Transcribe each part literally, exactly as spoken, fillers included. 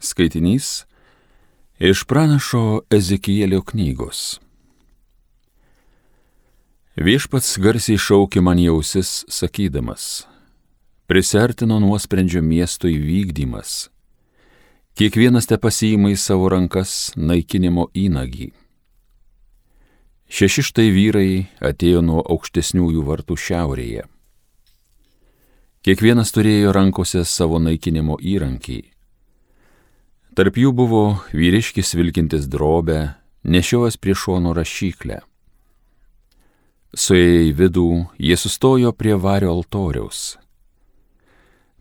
Skaitinys iš pranašo Ezekielio knygos. Viešpats garsiai šaukė man į ausis, sakydamas: Prisiartino nuosprendžio miesto įvykdymas. Kiekvienas te pasiima į savo rankas naikinimo įnagį. Šeši štai vyrai atėjo nuo aukštesniųjų vartų šiaurėje. Kiekvienas turėjo rankose savo naikinimo įrankį. Tarp jų buvo vyriškis vilkintis drobę, nešiojęs prie šono rašyklę. Suėję į vidų, jie sustojo prie vario altoriaus.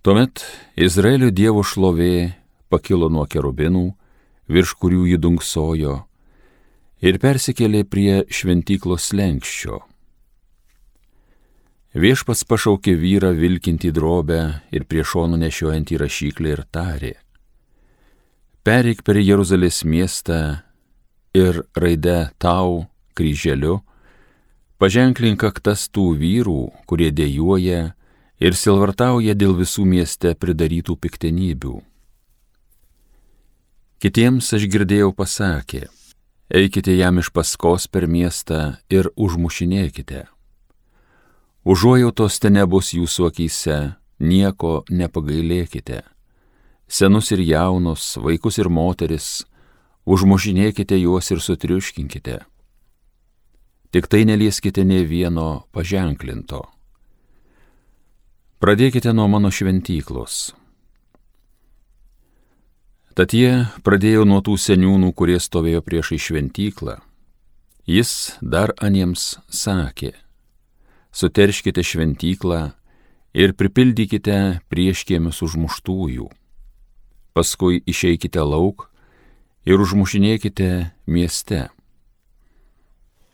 Tuomet Izraelio Dievo šlovė pakilo nuo kerubinų, virš kurių jį dunksojo, ir persikėlė prie šventyklos slenksčio. Viešpats pašaukė vyrą vilkintį drobę ir prie šonų nešiojantį rašyklę ir tarė: Pereik per Jeruzalės miestą ir raide tau kryželiu paženklink kaktas tų vyrų, kurie dejuoja ir sielvartauja dėl visų mieste pridarytų piktenybių. Kitiems aš girdėjau pasakė: Eikite jam iš paskos per miestą ir užmušinėkite. Užuojautos te nebus jūsų akyse, nieko nepagailėkite. Senus ir jaunus, vaikus ir moteris, užmušinėkite juos ir sutriuškinkite. Tik tai nelieskite nė vieno paženklinto. Pradėkite nuo mano šventyklos. Tad jie pradėjo nuo tų seniūnų, kurie stovėjo priešai šventyklą. Jis dar aniems sakė: Suterškite šventyklą ir pripildykite prieškiemius užmuštųjų. Paskui išeikite lauk ir užmušinėkite mieste.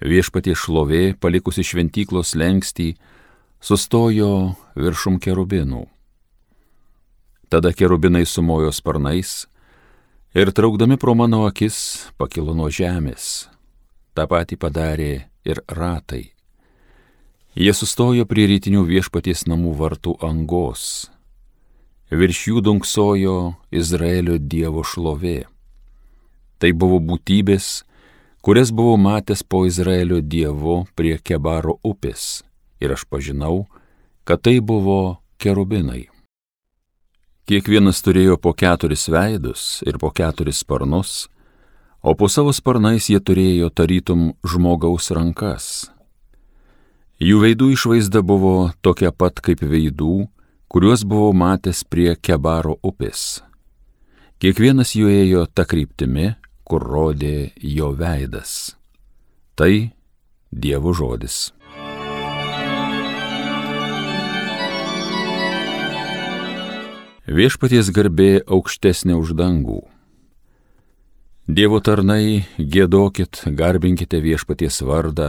Viešpaties šlovė, palikusi šventyklos slengstį, sustojo viršum kerubinų. Tada kerubinai sumojo sparnais ir traukdami pro mano akis pakilo nuo žemės. Ta pati padarė ir ratai. Jie sustojo prie rytinių viešpaties namų vartų angos. Virš jų dunksojo Izraelio Dievo šlovė. Tai buvo būtybės, kurias buvau matęs po Izraelio Dievu prie Kebaro upės, ir aš pažinau, kad tai buvo kerubinai. Kiekvienas turėjo po keturis veidus ir po keturis sparnus, o po savo sparnais jie turėjo tarytum žmogaus rankas. Jų veidų išvaizda buvo tokia pat kaip veidų, kuriuos buvau matęs prie Kebaro upės. Kiekvienas jų ėjo ta kryptimi, kur rodė jo veidas. Tai Dievo žodis. Viešpaties garbė aukštesnė už dangų. Dievo tarnai, giedokit, garbinkite viešpaties vardą,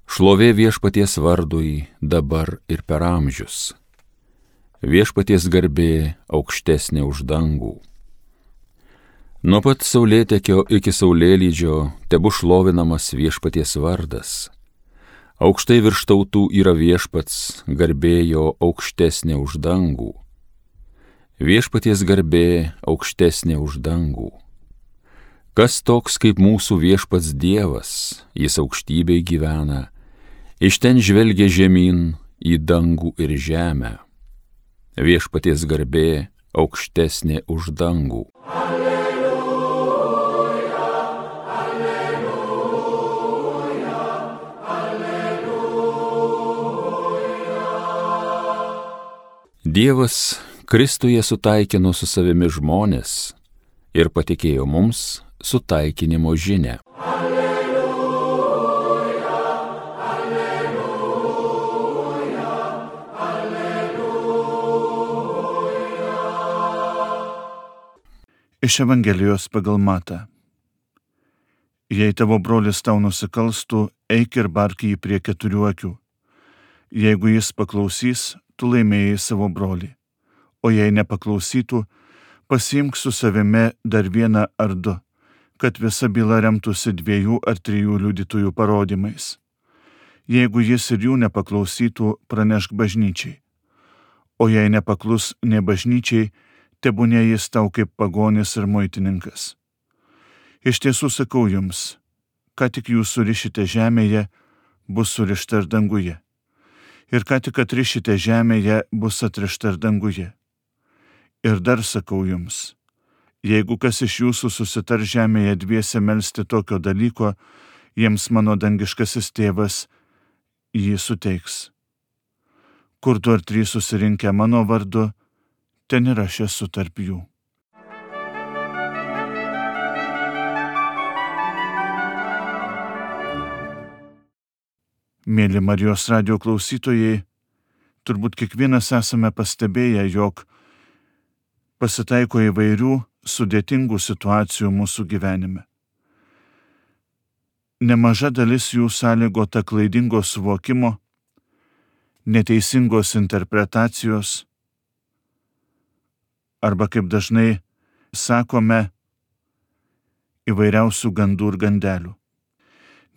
šlovė viešpaties vardui dabar ir per amžius. Viešpaties garbė aukštesnė už dangų. Nuo pat saulėtekio iki saulėlydžio tebu šlovinamas viešpaties vardas. Aukštai virš tautų yra viešpats, garbė jo aukštesnė už dangų. Viešpaties garbė aukštesnė už dangų. Kas toks kaip mūsų viešpats Dievas, jis aukštybėj gyvena, iš ten žvelgia žemyn į dangų ir žemę. Viešpaties garbė aukštesnė už dangų. Alleluja, alleluja, alleluja. Dievas Kristuje sutaikino su savimi žmones ir patikėjo mums sutaikinimo žinią. Iš Evangelijos pagal Matą. Jei tavo brolis tau nusikalstų, eik ir bark jį prie keturių akių. Jeigu jis paklausys, tu laimėjai savo brolį. O jei nepaklausytų, pasiimk su savimi dar vieną ar du, kad visa byla remtųsi dviejų ar trijų liudytojų parodymais. Jeigu jis ir jų nepaklausytų, pranešk bažnyčiai. O jei nepaklus ne bažnyčiai, tebūnie jis tau kaip pagonis ir muitininkas. Iš tiesų sakau jums, ką tik jūs surišite žemėje, bus surišta ir danguje. Ir ką tik atrišite žemėje, bus atrišta ir danguje. Ir dar sakau jums, jeigu kas iš jūsų susitar žemėje dviese melsti tokio dalyko, jiems mano dangiškasis tėvas jį suteiks. Kur du ar trys susirinkę mano vardu, ten ir aš esu tarp jų. Mėly Marijos radijo klausytojai, turbūt kiekvienas esame pastebėję, jog pasitaiko įvairių sudėtingų situacijų mūsų gyvenime. Nemaža dalis jų sąlygota klaidingo suvokimo, neteisingos interpretacijos arba, kaip dažnai sakome, įvairiausių gandų ir gandelių.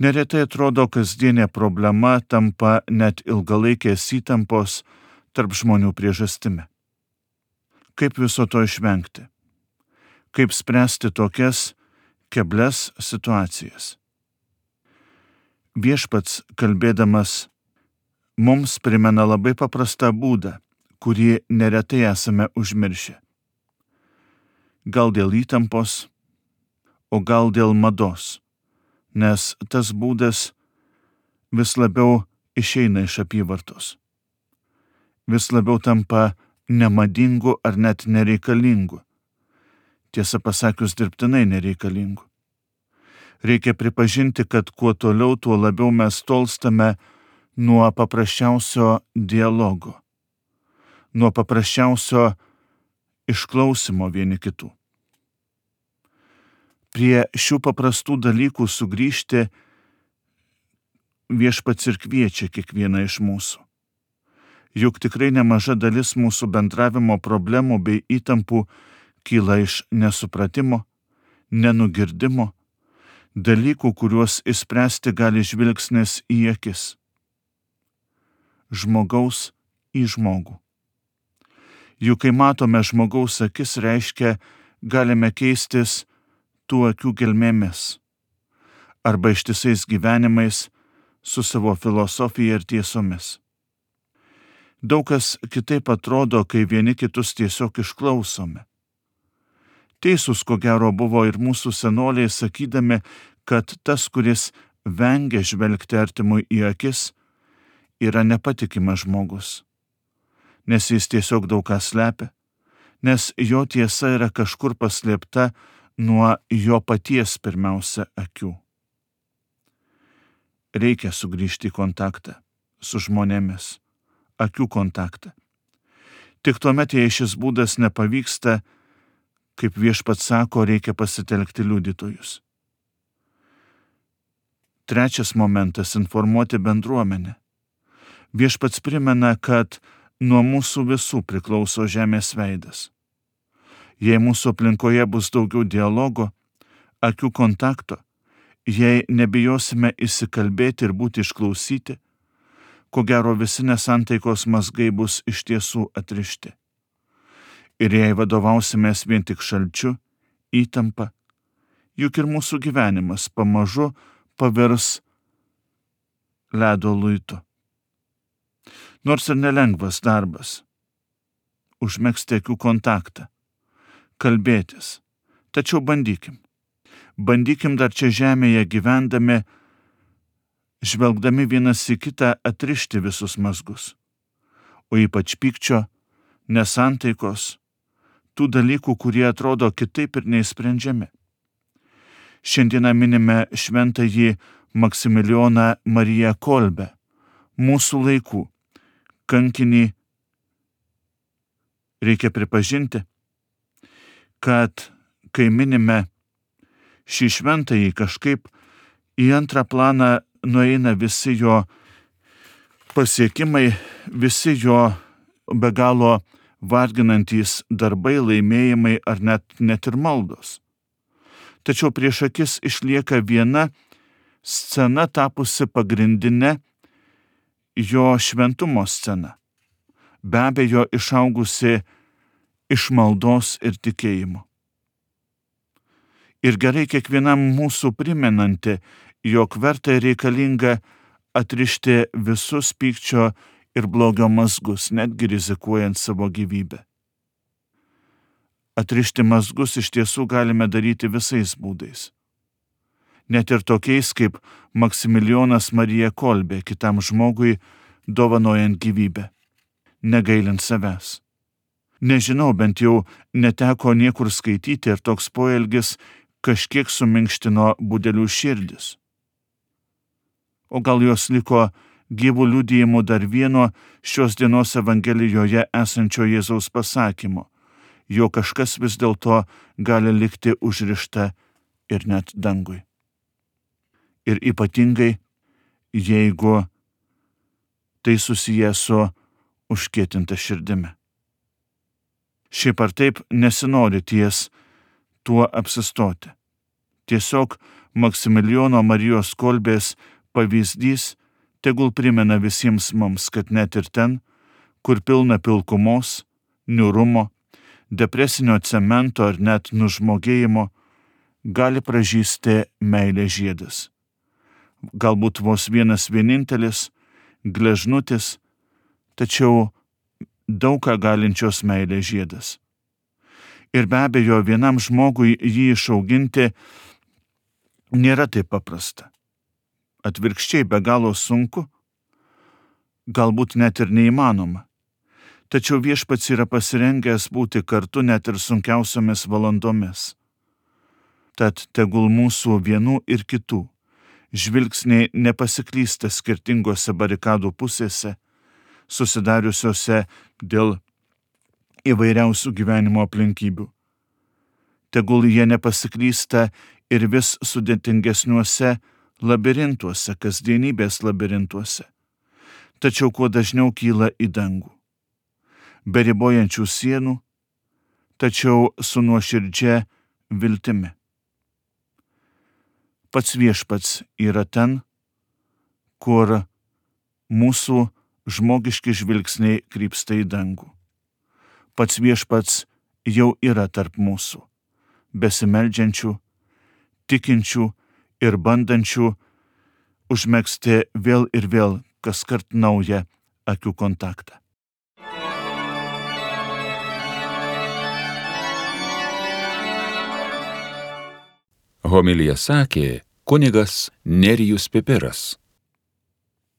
Neretai atrodo, kasdienė problema tampa net ilgalaikės įtampos tarp žmonių priežastimi. Kaip viso to išvengti? Kaip spręsti tokias keblias situacijas? Viešpats, kalbėdamas, mums primena labai paprastą būdą, kurį neretai esame užmiršę. Gal dėl įtampos, o gal dėl mados, nes tas būdas vis labiau išeina iš apyvartos. Vis labiau tampa nemadingu ar net nereikalingu. Tiesą pasakius, dirbtinai nereikalingu. Reikia pripažinti, kad kuo toliau, tuo labiau mes tolstame nuo paprasčiausio dialogo, nuo paprasčiausio išklausimo vieni kitų. Prie šių paprastų dalykų sugrįžti Viešpats ir kviečia kiekvieną iš mūsų. Juk tikrai nemaža dalis mūsų bendravimo problemų bei įtampų kyla iš nesupratimo, nenugirdimo, dalykų, kuriuos išspręsti gali žvilgsnis į akis. Žmogaus į žmogų. Juk kai matome žmogaus akis, reiškia, galime keistis tų akių gelmėmis arba ištisais gyvenimais su savo filosofija ir tiesomis. Daug kas kitaip atrodo, kai vieni kitus tiesiog išklausome. Teisūs, ko gero, buvo ir mūsų senoliai, sakydami, kad tas, kuris vengia žvelgti artimui į akis, yra nepatikimas žmogus, nes jis tiesiog daug ką slepia, nes jo tiesa yra kažkur paslėpta nuo jo paties pirmiausia akių. Reikia sugrįžti į kontaktą su žmonėmis, akių kontaktą. Tik tuomet, jei šis būdas nepavyksta, kaip Viešpats sako, reikia pasitelkti liudytojus. Trečias momentas – informuoti bendruomenę. Viešpats primena, kad nuo mūsų visų priklauso žemės veidas. Jei mūsų aplinkoje bus daugiau dialogo, akių kontakto, jei nebijosime įsikalbėti ir būti išklausyti, ko gero visi nesantaikos mazgai bus iš tiesų atrišti. Ir jei vadovausimės vien tik šalčiu, įtampa, juk ir mūsų gyvenimas pamažu pavirs ledo luitu. Nors ir nelengvas darbas, užmegzti akių kontaktą, kalbėtis, tačiau bandykim. Bandykim dar čia žemėje gyvendami, žvelgdami vienas į kitą atrišti visus mazgus, o ypač pykčio, nesantaikos, tų dalykų, kurie atrodo kitaip ir neįsprendžiami. Šiandieną minime šventąjį Maksimilijoną Mariją Kolbę, mūsų laikų kankinį. Reikia pripažinti, kad kai minime šį šventąjį, kažkaip į antrą planą nueina visi jo pasiekimai, visi jo be galo varginantys darbai, laimėjimai ar net, net ir maldos. Tačiau prieš akis išlieka viena scena tapusi pagrindinė jo šventumo scena. Be abejo, išaugusi iš maldos ir tikėjimo. Ir gerai kiekvienam mūsų primenanti, jog verta ir reikalinga atrišti visus pykčio ir blogio mazgus, netgi rizikuojant savo gyvybę. Atrišti mazgus iš tiesų galime daryti visais būdais. Net ir tokiais kaip Maksimilijonas Marija Kolbė kitam žmogui dovanojant gyvybę, negailint savęs. Nežinau, bent jau neteko niekur skaityti ir toks poelgis kažkiek suminkštino budelių širdis. O gal jos liko gyvų liudijimų dar vieno šios dienos Evangelijoje esančio Jėzaus pasakymo, jo kažkas vis dėlto gali likti užrišta ir net dangui. Ir ypatingai, jeigu tai susiję su užkietinta širdimi. Šiaip ar taip nesinori ties tuo apsistoti. Tiesiog Maksimilijono Marijos Kolbės pavyzdys tegul primena visiems mums, kad net ir ten, kur pilna pilkumos, niūrumo, depresinio cemento ar net nužmogėjimo, gali pražysti meilės žiedas. Galbūt vos vienas vienintelis, gležnutis, tačiau daug ką galinčios meilės žiedas. Ir be abejo, vienam žmogui jį išauginti nėra taip paprasta. Atvirkščiai be galo sunku, galbūt net ir neįmanoma. Tačiau viešpats yra pasirengęs būti kartu net ir sunkiausiomis valandomis. Tad tegul mūsų vienų ir kitų žvilgsniai nepasiklysta skirtingose barikadų pusėse, susidariusiose dėl įvairiausių gyvenimo aplinkybių. Tegul jie nepasiklysta ir vis sudėtingesniuose labirintuose, kasdienybės labirintuose, tačiau kuo dažniau kyla į dangų. Be ribojančių sienų, tačiau su nuoširdžia viltimi. Pats viešpats yra ten, kur mūsų žmogiški žvilgsniai krypsta į dangų. Pats viešpats jau yra tarp mūsų, besimeldžiančių, tikinčių ir bandančių užmegzti vėl ir vėl kaskart naują akių kontaktą. Homiliją sakė kunigas Nerijus Pipiras.